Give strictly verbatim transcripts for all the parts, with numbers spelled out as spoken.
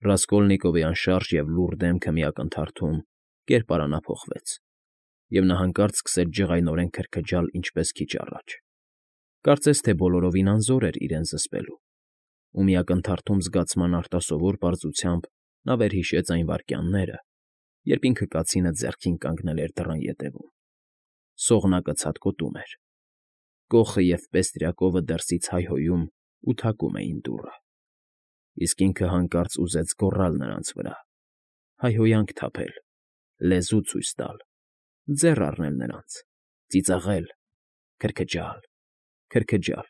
Ռասկոլնիկովի անշարժ և լուռ դեմքը մի ակնթարթում կերպարանափոխվեց, և նա հանկարծ սկսեց ջղայնորեն քրքջալ ինչպես քիչ առաջ, կարծես թե բոլորովին անզոր էր իրեն զսպելու, ու մի ակնթարթում զգացման արտասովոր պարզությամբ նա վերհիշեց այն վայրկյանները, երբ ինքը կացինը ձեռքին կանգնել էր դռան ետևում, սողնակը ցատկոտում էր, կոխը և պեստրյակովը դրսից հայհոյում ու թակում էին դուռը, իսկ ինքը հանկարծ ուզեց գոռալ նրանց վրա, հայհոյանք թափել, լեզու ցույց տալ, ձեռ առնել նրանց, ծիծաղել, քրքջալ, քրքջալ,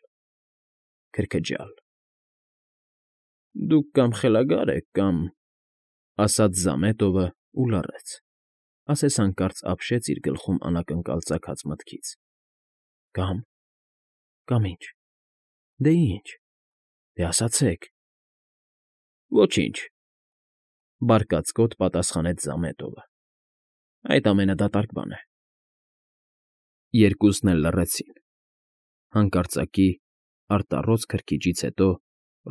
քրքջալ։ ֊ Դուք կամ խելագար եք, կամ,֊ ասաց Զամետովը ու լռեց, ասես հանկարծ ապշեց իր գլխում անակնկալ ծագած մտքից,֊ կամ, կամ ինչ, դե ինչ, դե ասացեք։ ֊ Ոչինչ,֊ բարկացկոտ պատասխանեց Զամետովը,֊ այդ ամենը դատարկ բան է։ Երկուսն էլ լռեցին։ Հանկարծակի, արտառոց քրքիջից հետո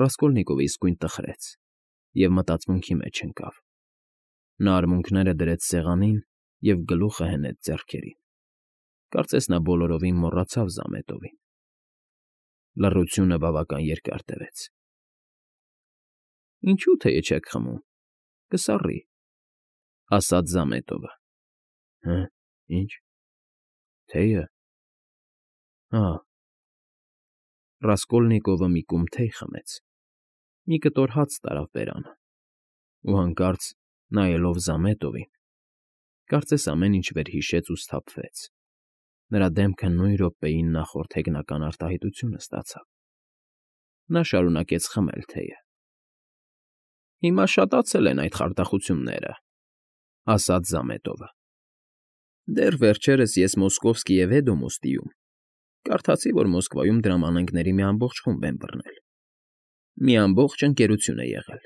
Ռասկոլնիկովը իսկույն տխրեց և մտածմունքի մեջ ընկավ. նա արմունկները դրեց սեղանին և գլուխը հենեց ձեռքերին, կարծես նա բոլորովին մոռացավ Զամետովին։ Լռությունը բավական երկար տևեց։ ֊ Ինչո՞ւ թեյ չեք խմում, կսառի,֊ ասաց Զամետովը։ ֊ Հը՞, ինչ, թեյը… Հա… Ռասկոլնիկովը մի կում թեյ խմեց, մի կտոր հաց տարավ բերանը ու հանկարծ, նայելով Զամետովին, կարծես ամեն ինչ վերհիշեց ու սթափվեց, նրա դեմքը նույն րոպեին նախորդ հեգնական արտահայտությունը ստացավ։ Նա շարունակեց խմել թեյը։ ֊ Հիմա շատացել են այդ խարդախությունները,֊ ասաց Զամետովը։ Դեռ վերջերս ես Մոսկովսկի և Էդոմոստիում կարդացի, որ Մոսկվայում դրամանենգների մի ամբողջ խումբ են բռնել, մի ամբողջ ընկերություն է եղել,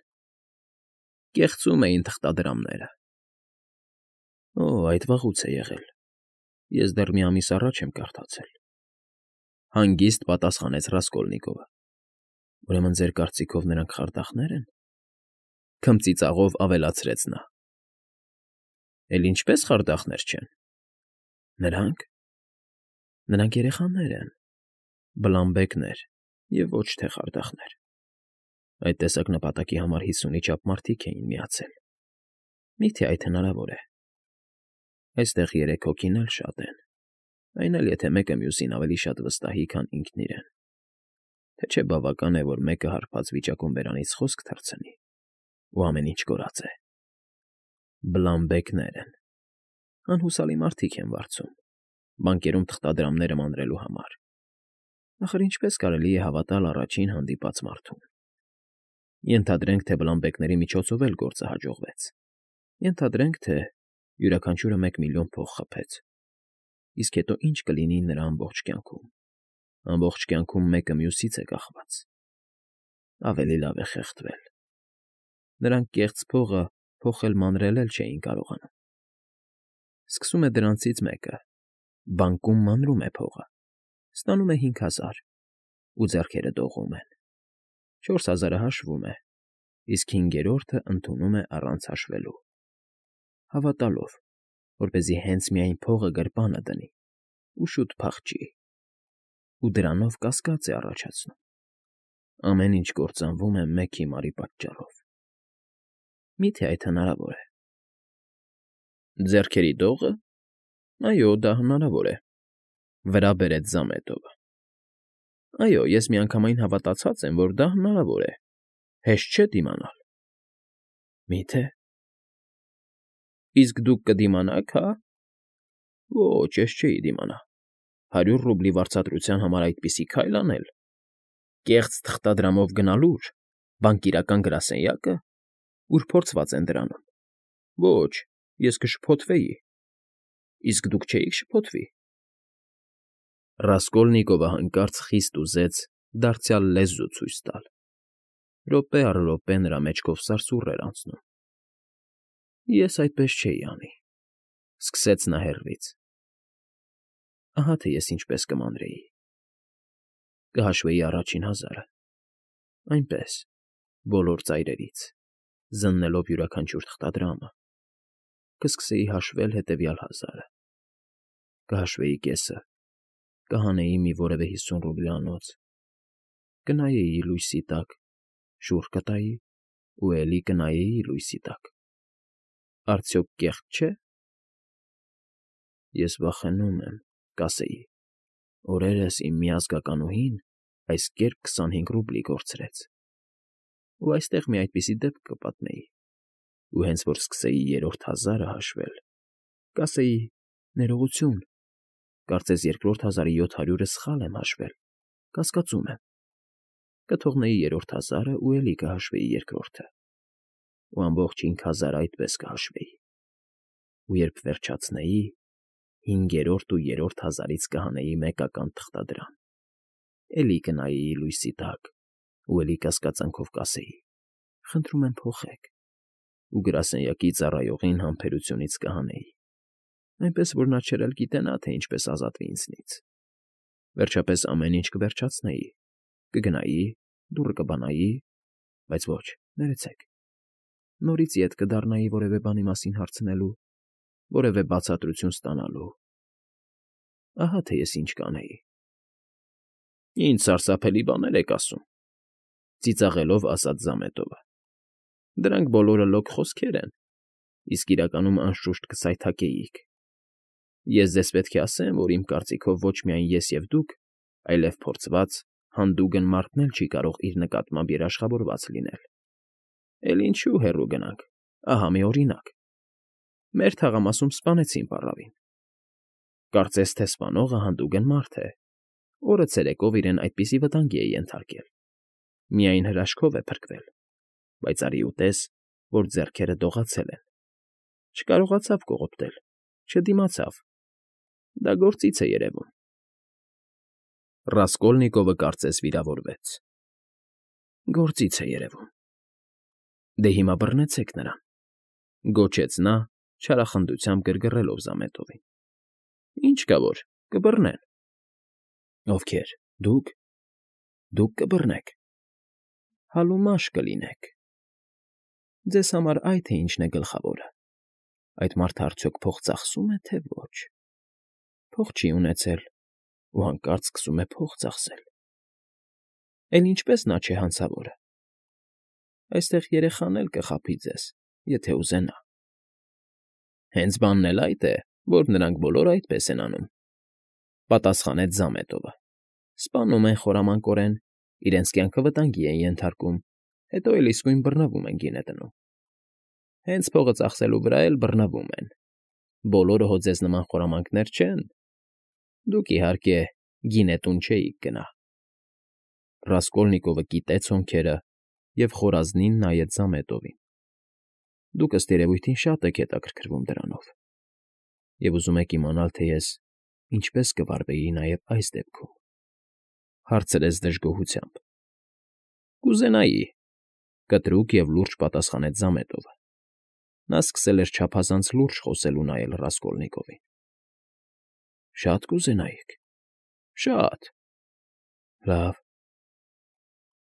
կեղծում էին թղթադրամները։ ֊ Օ՜, այդ վաղուց է եղել, ես դեռ մի ամիս առաջ եմ կարդացել,֊ հանգիստ պատասխանեց Ռասկոլնիկովը։ ֊ Ուրեմն ձեր կարծիքով նրանք խարդախնե՞ր են,֊ քմծիծաղով ավելացրեց նա։ ֊ Էլ ինչպե՞ս խարդախներ չեն։ Նրանք… նրանք երեխաներ են, բլանբեկներ և ոչ թե խարդախներ… Այդ տեսակ նպատակի համար հիսունի չափ մարդիկ էին միացել… Միթե այդ հնարավոր է… Այստեղ երեք հոգին էլ շատ են, այն էլ, եթե մեկը մյուսին ավելի շատ վստահի, քան ինքն իրեն… Թե չէ բավական է, որ մեկը հարբած վիճակում բերանից խոսք թռցնի, ու ամեն ինչ կորած է… Բլանբեկներ են… Անհուսալի մարդիկ են վարձում, բանկերում թղթադրամները մանրելու համար… Ախր ինչպե՞ս կարելի է հավատալ առաջին հանդիպած մարդուն… Ենթադրենք, թե բլանբեկների միջոցով էլ գործը հաջողվեց, ենթադրենք, թե յուրաքանչյուրը մեկ միլիոն փող խփեց, իսկ հետո ի՞նչ կլինի նրա ամբողջ կյանքում… Ամբողջ կյանքում մեկը մյուսից է կախված… Ավելի լավ է խեղդվել… Նրանք կեղծ փողը փոխել մանրել էլ չէին կարողանում… Սկսում է դրանցից մեկը, բանկում մանրում է փողը, ստանում է հինգ հազար, ու ձեռքերը դողում են, չորս հազարը հաշվում է, իսկ հինգերորդը ընդունում է առանց հաշվելու, հավատալով, որպեսզի հենց միայն փողը գրպանը դնի ու շուտ փախչի… Ու դրանով կասկած է առաջացնում… Ամեն ինչ կործանվում է մեկ հիմարի պատճառով… Միթե այդ հնարավոր է… Ձեռքերի դո՞ղը… Այո, դա հնարավոր է,֊ վրա բերեց Զամետովը։ Այո, ես միանգամայն հավատացած եմ, որ դա հնարավոր է… Հեշտ չէ դիմանալ… Մի՞թե… Իսկ դուք կդիմանա՞ք, հա… Ոչ, ես չէի դիմանա… Հարյուր ռուբլի վարձատրության համար այդպիսի քայլ անել… Կեղծ թղթադրամով գնալո՞ւր, բանկիրական գրասենյակը, ուր փորձված են դրանում… Ոչ, ես կշփոթվեի… Իսկ դուք չէիք շփոթվի… Ռասկոլնիկովը հանկարծ խիստ ուզեց դարձյալ լեզու ցույց տալ… Րոպե առ րոպե նրա մեջքով սարսուռ էր անցնում։ ֊ Ես այդպես չէի անի,֊ սկսեց նա հեռվից… Ահա թե ես ինչպես կմանրեի… Կհաշվեի առաջին հազարը… Այնպես, բոլոր ծայրերից… զննելով յուրաքանչյուր թղթադրամը, կսկսեի հաշվել հետևյալ հազարը, կհաշվեի կեսը, կհանեի մի որևէ հիսուն ռուբլյանոց, կնայեի լույսի տակ, շուռ կտայի ու էլի կնայեի լույսի տակ. արդյոք կեղծ չէ՞։ Ես վախենում եմ, կասեի, օրերս իմ միազգականուհին այս կերպ քսանհինգ ռուբլի կորցրեց, ու այստեղ մի այդպիսի դեպք կպատմեի, ու հենց որ սկսեի երրորդ հազարը հաշվել, կասեի. ներողություն, կարծես երկրորդ հազարի յոթ հարյուրը սխալ եմ հաշվել, կասկածում եմ, կթողնեի երրորդ հազարը ու էլի կհաշվեի երկրորդը, ու ամբողջ հինգ հազարը այդպես կհաշվեի, ու երբ վերջացնեի, հինգերորդ ու երրորդ հազարից կհանեի մեկական թղթադրամ, էլի կնայեի լույսի տակ ու էլի կասկածանքով կասեի. խնդրում եմ փոխեք, ու գրասենյակի ծառայողին համբերությունից կհանեի, այնպես որ նա չէր էլ գիտենա, թե ինչպես ազատվի ինձնից, վերջապես ամեն ինչ կվերջացնեի, կգնայի, դուռը կբանայի, բայց ոչ, ներեցեք, նորից ետ կդառնայի որևէ բանի մասին հարցնելու, որևէ բացատրություն ստանալու, ահա թե ես ինչ կանեի։ Ինչ սարսափելի բաներ եք ասում,֊ ծիծաղելով ասաց Զամետովը։ Դրանք բոլորը լոկ խոսքեր են, իսկ իրականում անշուշտ կսայթաքեիք։ Ես ձեզ պետք է ասեմ, որ իմ կարծիքով ոչ միայն ես և դուք, այլև փորձված, հանդուգն մարդն էլ չի կարող իր նկատմամբ երաշխավորված լինել։ Էլ ինչու հեռու գնանք, ահա մի օրինակ. մեր թաղամասում սպանեցին պառավին։ Կարծես թե սպանողը հանդուգն մարդ է, օրը ցերեկով իրեն այդպիսի վտանգի է ենթարկել, միայն հրաշքով է փրկվել, բայց արի ու տես, որ ձեռքերը դողացել են, չկարողացավ կողոպտել, չդիմացավ, դա գործից է երևում։ Ռասկոլնիկովը կարծես վիրավորվեց։ Գործից է երևում։ Դե հիմա բռնեցեք նրան,֊ գոչեց նա, չարախնդությամբ գրգռելով Զամետովին։ Ինչ կա որ, կբռնեն։ Ովքեր, դուք, դուք կբռնեք, հալումաշ կլինեք։ Ձեզ համար այդ թե ինչն է գլխավորը, այդ մարդը արդյոք փող ծախսում է, թե ոչ, փող չի ունեցել ու հանկարծ սկսում է փող ծախսել։ Էլ ինչպես նա չէ հանցավորը։ Այստեղ երեխան էլ կխաբի ձեզ, եթե ուզենա։ Հենց բանն էլ այդ է, որ նրանք բոլորը այդպես են անում,֊ պատասխանեց Զամետովը։ Սպանում են խորամանկորեն, իրենց կյանքը վտանգի են ենթարկում, հետո էլ իսկույն բռնվում են գինետնում։ Հենց փողը ծախսելու վրա էլ բռնվում են։ Բոլորը հո ձեզ նման խորամանկներ չեն։ Դուք, իհարկե, գինետուն չէիք գնա։ Ռասկոլնիկովը կիտեց հոնքերը և խորազնին նայեց Զամետովին։ Դուք ըստ երևույթին շատ եք հետաքրքրվում դրանով, և ուզում եք իմանալ, թե ես ինչպես կվարվեի նաև այս դեպքում,֊ հարցրեց դժգոհությամբ։ Կուզենայի,֊ կտրուկ և լուրջ պատասխանեց Զամետովը։ Նա սկսել էր չափազանց լուրջ խոսել ու նայել Ռասկոլնիկովին։ Շատ կուզենայիք, շատ… Լավ,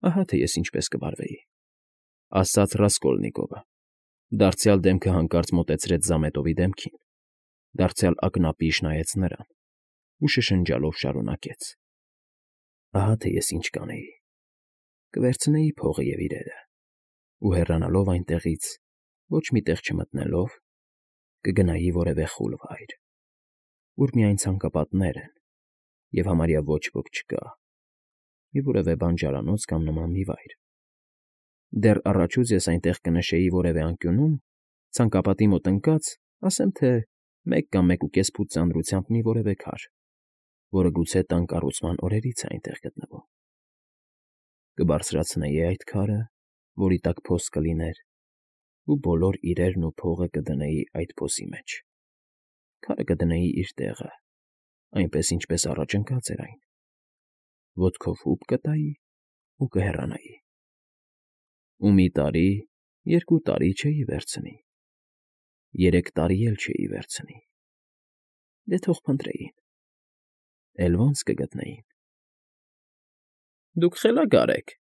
ահա թե ես ինչպես կվարվեի,֊ ասաց Ռասկոլնիկովը, դարձյալ դեմքը հանկարծ մոտեցրեց Զամետովի դեմքին, դարձյալ ակնապիշ նայեց նրան ու շշնջալով շարունակեց. Ահա թե ես ինչ կանեի. կվերցնեի փողը և իրերը ու հեռանալով այնտեղից, ոչ մի տեղ չմտնելով, կգնայի որևէ խուլ վայր, ուր միայն ցանկապատներ են և համարյա ոչ ոք չկա, մի որևէ բանջարանոց կամ նման մի վայր։ Դեռ առաջուց ես այնտեղ կնշեի որևէ անկյունում, ցանկապատի մոտ ընկած, ասեմ թե մեկ կամ մեկուկես ֆուտ ծանրությամբ մի որևէ քար, որը գուցե տան կառուցման օրերից է այնտեղ գտնվում։ Կբարձրացնեի այդ քարը, որի տակ փոս կլիներ, ու բոլոր իրերն ու փողը կդնեի այդ փոսի մեջ։ Քարը կդնեի իր տեղը, այնպես, ինչպես առաջ ընկած էր այն, ոտքով հուպ կտայի ու կհեռանայի։ Ու մի տարի, երկու տարի չէի վերցնի, երեք տարի էլ չէի վերցնի, դե թող փնտրեին, էլ ո՞նց կգտնեին։ Դուք խելագար եք,֊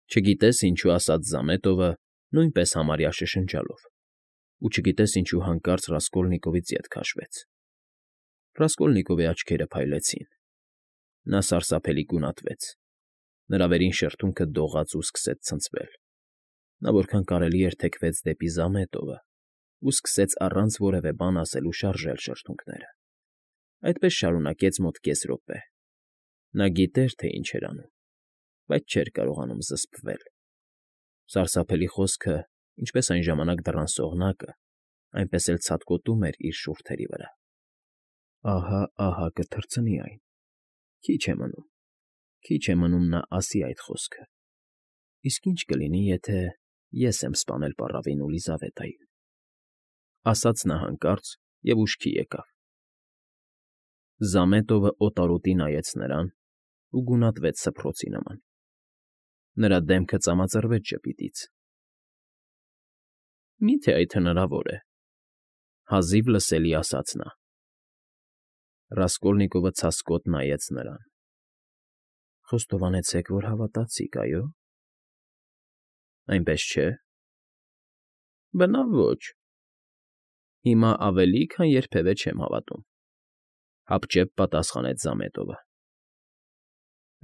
չգիտես ինչու ասաց Զամետովը նույնպես համարյա շշնջալով, ու չգիտես ինչու հանկարծ Ռասկոլնիկովից ետ քաշվեց։ Ռասկոլնիկովի աչքերը փայլեցին, նա սարսափելի գունատվեց, նրա վերին շրթունքը դողաց ու սկսեց ցնցվել։ Նա որքան կարելի էր թեքվեց դեպի Զամետովը ու սկսեց առանց որևէ բան ասելու շարժել շրթունքները։ Այդպես շարունակեց մոտ կես րոպե։ Նա գիտեր, թե ինչ էր անում, բայց չէր կարողանում զսպվել։ Սարսափելի խոսքը, ինչպես այն ժամանակ դռան սողնակը, այնպես էլ ցատկոտում էր իր շուրթերի վրա։ Ահա, ահա կթռցնի այն։ Քիչ է մնում, քիչ է մնում նա ասի այդ խոսքը։ Իսկ ինչ կլինի, եթե ես եմ սպանել պառավին ու Լիզավետային, ասաց նա հանկարծ և ուշքի եկավ։ Զամետովը օտարոտի նայեց նրան ու գունատվեց սփռոցի նման։ Նրա դեմքը ծամածրվեց ժպիտից։ Մի՞թե այդ հնարավոր է,֊ հազիվ լսելի ասաց նա։ Ռասկոլնիկովը ցասկոտ նայեց նրան։ Խոստովանեցեք, որ հավատացիք, այո՞։ Այնպես չէ։ Բնավ ոչ։ Հիմա ավելի, քան երբևէ չեմ հավատում,֊ հապճեպ պատասխանեց Զամետովը։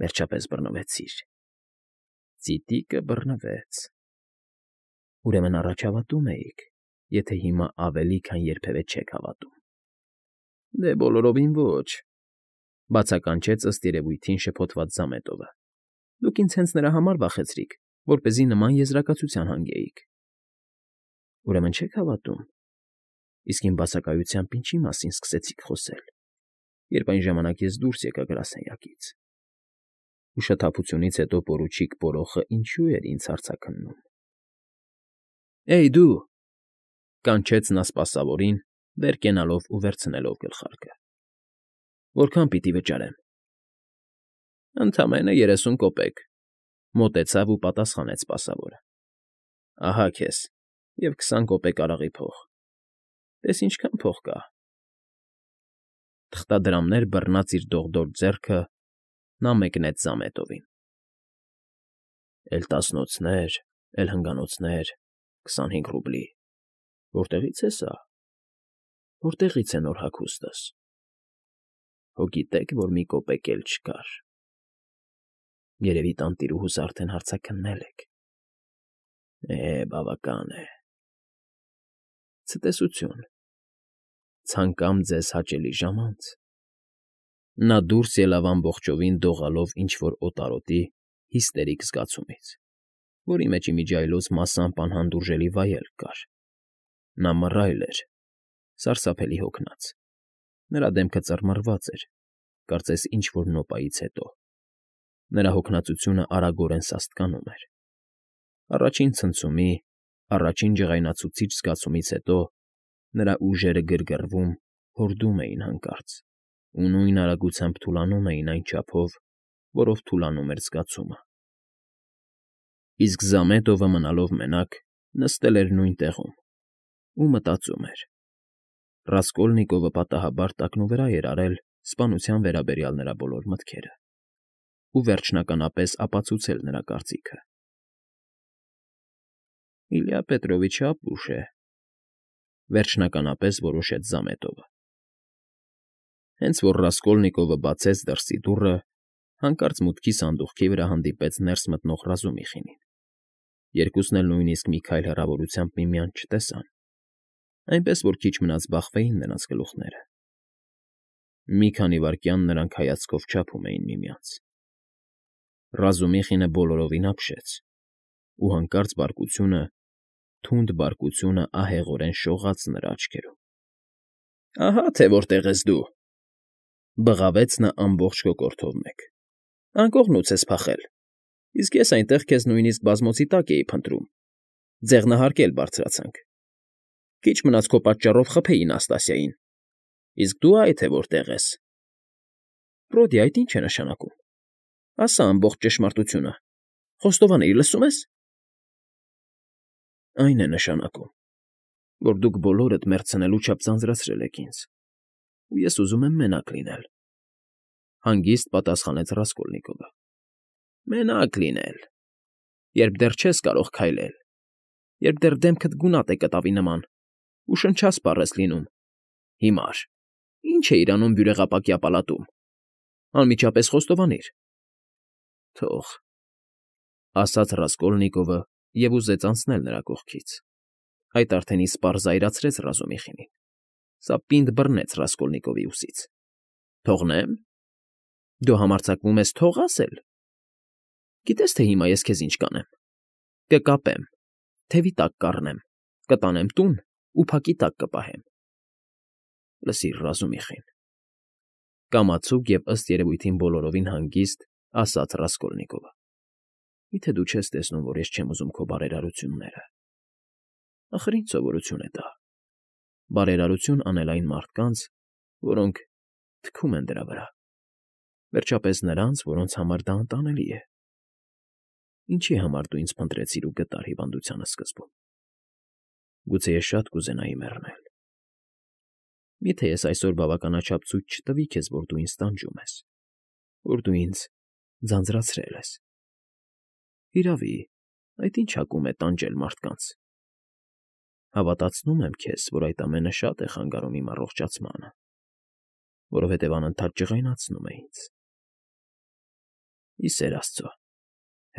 Վերջապես բռնվեցիր։ Ծիտիկը բռնվեց։ Ուրեմն առաջ հավատում էիք, եթե հիմա ավելի, քան երբևէ չեք հավատում։ Դե բոլորովին ոչ,֊ բացականչեց ըստ երևույթին շփոթված Զամետովը։ Դուք ինձ հենց նրա համար վախեցրիք, որպեսզի նման եզրակացության հանգեիք։ Ուրեմն չեք հավատում։ Իսկ իմ բացակայությամբ ինչի մասին սկսեցիք խոսել, երբ այն ժամանակ ես դուրս եկա գրասենյակից։ Ուշաթափությունից հետո պորուչիկ Պորոխը ինչու էր ինձ հարցաքննում։ Էյ, դու,֊ կանչեց նա սպասավորին, վեր կենալով ու վերցնելով գլխարկը։ Որքան պիտի վճարեմ։ Ընդամենը երեսուն կոպեկ,֊ մոտեցավ ու պատասխանեց սպասավորը։ Ահա քեզ, և քսան կոպեկ արաղի փող։ Տես ինչքան փող կա։ Թղթադրամներ բռնած իր դողդոջ ձեռքը նա մեկնեց Զամետովին։ Էլ տասնոցներ, էլ հնգանոցներ, քսանհինգ ռուբլի… Որտեղի՞ց է սա։ Որտեղի՞ց է նոր հագուստս։ Հո գիտեք, որ մի կոպեկ էլ չկար։ Երևի տանտիրուհուս արդեն հարցաքննել եք։ Է, բավական է։ Ցտեսություն։ Ցանկամ ձեզ հաճելի ժամանց։ Նա դուրս ելավ ամբողջովին դողալով ինչ֊որ օտարոտի հիստերիկ զգացումից, որի մեջ իմիջիայլոց մասամբ անհանդուրժելի վայելք կար։ Նա մռայլ էր, սարսափելի հոգնած։ Նրա դեմքը ծռմռված էր, կարծես ինչ֊որ նոպայից հետո։ Նրա հոգնածությունը արագորեն սաստկանում էր։ Առաջին ցնցումի, առաջին ջղայնացուցիչ զգացումից հետո նրա ուժերը գրգռվում, հորդում էին հանկարծ, ու նույն արագությամբ թուլանում էին այն չափով, որով թուլանում էր զգացումը։ Իսկ Զամետովը մնալով մենակ նստել էր նույն տեղում ու մտածում էր։ Ռասկոլնիկովը պատահաբար տակնուվրա էր արել սպանության վերաբերյալ նրա բոլոր մտքերը ու վերջնականապես ապացուցել նրա կարծիքը։ Իլյա Պետրովիչը ապուշ է,֊ վերջնականապես որոշեց Զամետովը։ Հենց որ Ռասկոլնիկովը բացեց դրսի դուռը, հանկարծ մուտքի սանդուղքի վրա հանդիպեց ներս մտնող Ռազումիխինին։ Երկուսն էլ նույնիսկ մի քայլ հեռավորությամբ միմյանց չտեսան, այնպես որ քիչ մնաց բախվեին նրանց գլուխները։ Մի քանի վայրկյան նրանք հայացքով չափում էին միմյանց։ Ռազումիխինը բոլորովին ապշեց, ու հանկարծ բարկությունը, թունդ բարկությունը ահեղորեն շողաց նրա աչքերում։ Ահա թե որտեղ ես դու,֊ բղավեց նա ամբողջ կոկորդով մեկ։ Անկողնուց ես փախել, իսկ ես այնտեղ քեզ նույնիսկ բազմոցի տակ էի փնտրում, ձեղնահարկել բարձրացանք։ Քիչ մնաց քո պատճառով խփեի Նաստասիային, իսկ դու այ թե որտեղ ես։ Բրոդի, այդ ի՞նչ է նշանակում։ Ասա ամբողջ ճշմարտությունը, խոստովանել, լսում ես։ Այն է նշանակում, որ դուք բոլորդ մեռցնելու չափ ձանձրացրել եք ինձ, ու ես ուզում եմ մենակ լինել,֊ հանգիստ պատասխանեց Ռասկոլնիկովը։ Մենակ լինել, երբ դեռ չես կարող քայլել, երբ դեռ դեմքդ գունատ է կտավի նման, ու շնչասպառ ես լինում։ Հիմար, ի՞նչ է իրանում բյուրեղապակյա պալատում։ Անմիջապես խոստովանիր։ Թող, ասաց Ռասկոլնիկովը և ուզեց անցնել նրա կողքից։ Այդ արդեն իսպառ զայրացրեց Ռազումիխինին։ Սա պինդ բռնեց Ռասկոլնիկովի ուսից։ Թողնե՞մ։ Դու համարձակվում ես թող ասել։ Գիտես, թե հիմա ես քեզ ինչ կանեմ։ Կկապեմ, թևի տակ կառնեմ, կտանեմ տուն ու փակի տակ կպահեմ։ Լսիր, Ռազումիխին, կամացուկ և ըստ երևույթին բոլորովին հանգիստ ասաց Ռասկոլնիկովը։ Միթե դու չես տեսնում, որ ես չեմ ուզում քո բարերարությունները։ Ախր ինչ սովորություն է դա։ Բարերարություն անել այն մարդկանց, որոնք թքում են դրա վրա։ Վերջապես նրանց, որոնց համար դա անտանելի է։ Ինչի համար դու ինձ փնտրեցիր ու գտար հիվանդության սկզբում։ Գուցե ես շատ կուզենայի մեռնել։ Միթե ես այսօր բավականաչափ ցույց չտվի քեզ, որ դու ինձ տանջում ես, որ դու ինձ ձանձրացրել ես։ Հիրավի, այդ ինչ հակում է տանջել մարդկանց։ Հավատացնում եմ քեզ, որ այդ ամենը շատ է խանգարում իմ առողջացմանը, որովհետև անընդհատ ջղայնացնում է ինձ։ Ի սեր Աստծո,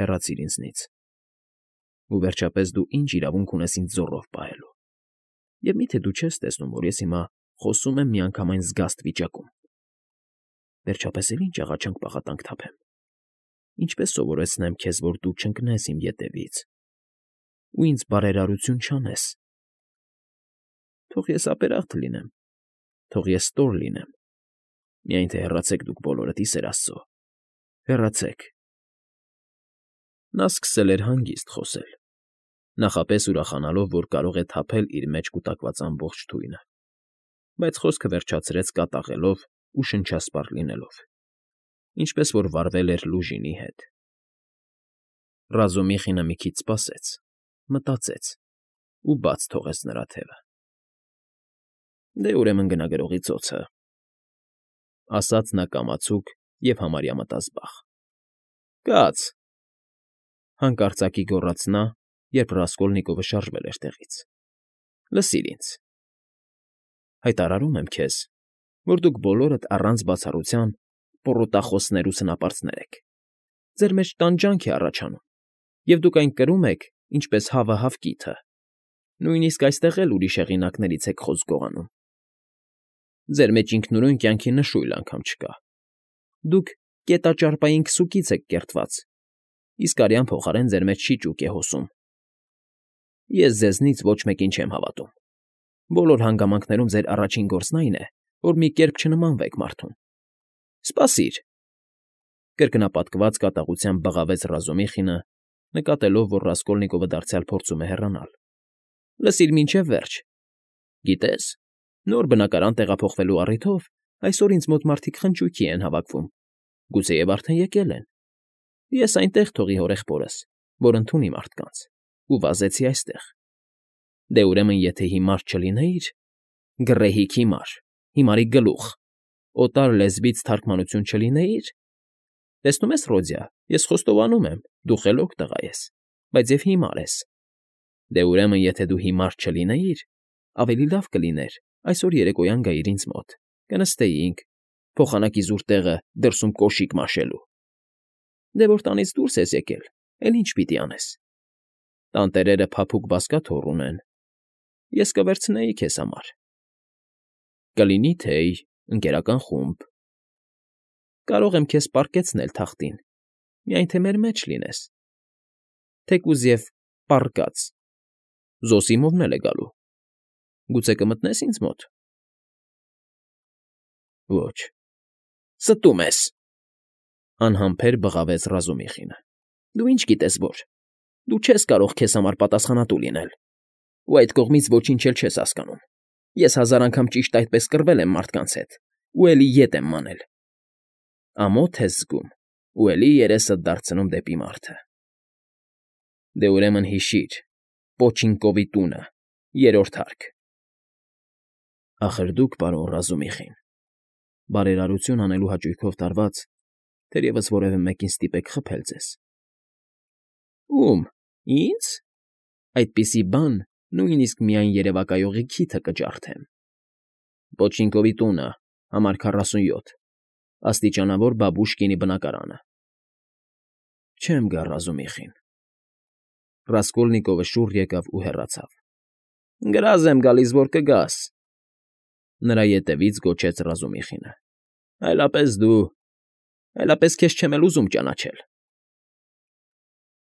հեռացիր ինձնից։ Ու վերջապես դու ինչ իրավունք ունես ինձ զոռով պահելու։ Եվ միթե դու չես տեսնում, որ ես հիմա խոսում եմ միանգամայն զգաստ վիճակում։ Վերջապես էլ ինչ աղաչանք պաղատանք թափեմ։ Ինչպես սովորեցնեմ քեզ, որ դու չընկնես իմ ետևից ու ինձ բարերարություն չանես։ Թող ես ապերախտ լինեմ, թող ես ստոր լինեմ։ Միայն թե հեռացեք դուք բոլորդ, ի սեր Աստծո, հեռացեք։ Նա սկսել էր հանգիստ խոսել, նախապես ուրախանալով, որ կարող է թափել իր մեջ կուտակված ամբողջ թույնը, բայց խոսքը վերջացրեց կատաղելով ու շնչասպառ լինելով, ինչպես որ վարվել էր Լուժինի հետ։ Ռազումիխինը մի քիչ սպասեց, մտածեց ու բաց թողեց նրա թևը։ Դե ուրեմն գնա գրողի ծոցը, ասաց նա կամացուկ և համարյա մտազբաղ։ Կաց, հանկարծակի գոռաց նա, երբ Ռասկոլնիկովը շարժվել էր տեղից։ Լսիր ինձ։ Հայտարարում եմ քեզ, որ դուք բոլորդ առանց բացառության պոռոտախոսներ ու սնապարծներ եք։ Ձեր մեջ տանջանք է առաջանում, և դուք այն կրում եք, ինչպես հավը հավկիթը։ Նույնիսկ այստեղ էլ ուրիշ հեղինակներից եք խոսք գողանում։ Ձեր մեջ ինքնուրույն կյանքի նշույլ անգամ չկա։ Դուք կետաճարպային քսուկից եք կերտված, իսկ արյան փոխարեն ձեր մեջ շիճուկ է հոսում։ Ես ձեզնից ոչ մեկին չեմ հավատում։ Բոլոր հանգամանքներում ձեր առաջին գործն այն է, որ մի կերպ չնմանվեք մարդուն։ Սպասիր։ Կրկնապատկված կատաղությամբ բղավեց Ռազումիխինը, նկատելով, որ Ռասկոլնիկովը դարձյալ փորձում է հեռանալ։ Լսիր մինչև վերջ։ Գիտես, նոր բնակարան տեղափոխվելու առիթով այսօր ինձ մոտ մարդիկ խնճույքի են հավաքվում, գուցեև արդեն եկել են։ Ես այնտեղ թողի հորեղբորս, որ ընդունի մարդկանց, ու վազեցի այստեղ։ Դե ուրեմն եթե հիմար չլինեիր, գռեհիկ հիմար, հիմարի գլուխ, օտար լեզվից թարգմանություն չլինեիր… Տեսնում ես, Ռոդիա, ես խոստովանում եմ, դու խելոք տղա ես, բայց և հիմար ես։ Դե ուրեմն եթե դու հիմար չլինեիր, ավելի լավ կլիներ այսօր երեկոյան գայիր ինձ մոտ, կնստեինք, փոխանակի զուր տեղը դրսում կոշիկ մաշելու։ Դե որ տանից դուրս ես եկել, էլ ինչ պիտի անես։ Տանտերերը փափուկ բազկաթոռ ունեն, ես կվերցնեի քեզ համար։ Կլինի թեյ, ընկերական խումբ։ Կարող եմ քեզ պառկեցնել թախտին, միայն թե մեր մեջ լինես։ Թեկուզ և պառկած, Զոսիմովն էլ է գալու։ Գուցե կմտնես ինձ մոտ։ Ոչ, ստում ես, անհամբեր բղավեց Ռազումիխինը։ Դու ինչ գիտես որ, դու չես կարող քեզ համար պատասխանատու լինել, ու այդ կողմից ոչինչ էլ չես հասկանում։ Ես հազար անգամ ճիշտ այդպես կռվել եմ մարդկանց հետ, ու էլի ետ եմ մանել։ Ամոթ ես զգում, ու էլի երեսդ դարձնում դեպի մարդը։ Դե ուրեմն հիշիր, Պոչինկովի տունը, երրորդ հարկ։ Ախր դուք, պարոն Ռազումիխին, բարերարություն անելու հաճույքով տարված, թերևս որևէ մեկին ստիպեք խփել ձեզ։ Ո՞ւմ, ինձ։ Այդպիսի բան նույնիսկ միայն երևակայողի քիթը կջարդեմ։ Պոչինկովի տունը, համար քառասունյոթ, աստիճանավոր Բաբուշկինի բնակարանը։ Չեմ գա, Ռազումիխին։ Ռասկոլնիկովը շուռ եկավ ու հեռացավ։ Գրազ եմ գալիս, որ կգաս, նրա ետևից գոչեց Ռազումիխինը։ Այլապես դու, այլապես քեզ չեմ էլ ուզում ճանաչել։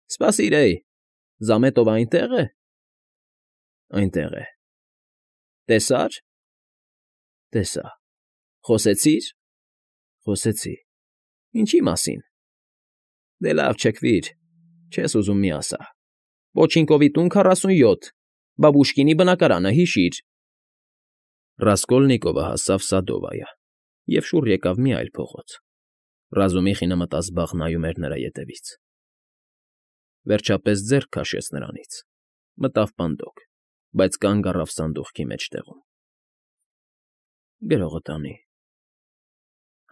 Սպասիր, էй, Զամետովը այնտե՞ղ է։ Այնտեղ է։ Տեսա՞ր։ Տեսա։ Խոսեցի՞ր։ Խոսեցի։ Ինչի մասին։ Դե լավ, չքվիր, չես ուզում մի ասա։ Պոչինկովի տուն քառասունյոթ, Բաբուշկինի բնակարանը, հիշիր։ Ռասկոլնիկովը հասավ Սադովայա և շուռ եկավ մի այլ փողոց։ Ռազումիխինը մտազբաղ նայում էր նրա ետևից։ Վերջապես ձեռք քաշեց նրանից, մտավ պանդոկ, բայց կանգ առավ սանդուղքի մեջտեղում։ Գրողը տանի,֊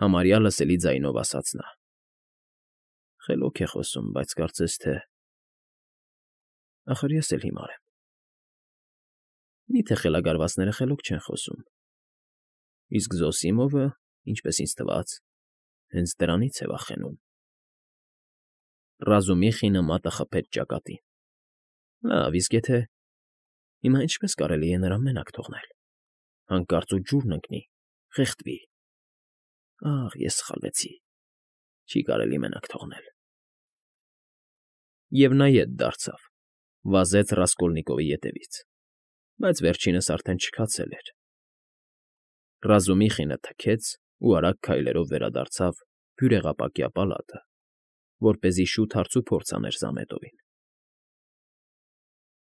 համարյա լսելի ձայնով ասաց նա։ Խելոք է խոսում, բայց կարծես թե… Ախր ես էլ հիմար եմ։ Մի՞թե խելագարվածները խելոք չեն խոսում։ Իսկ Զոսիմովը, ինչպես ինձ թվաց, հենց դրանից է վախենում։ Ռազումիխինը մատը խփեց ճակատին։ Լավ, իսկ եթե… Հիմա ինչպես կարելի է նրան մենակ թողնել։ Հանկարծ ու ջուրն ընկնի, խեղդվի։ Ախ, ես սխալվեցի, չի կարելի մենակ թողնել։ Եվ նա ետ դարձավ, վազեց Ռասկոլնիկովի ետևից, բայց վերջինս արդեն չքացել էր։ Ռազումիխինը թքեց ու արագ քայլերով վերադարձավ բյուրեղապակյա պալատը, որպեսզի շուտ հարցուփորձ աներ Զամետովին։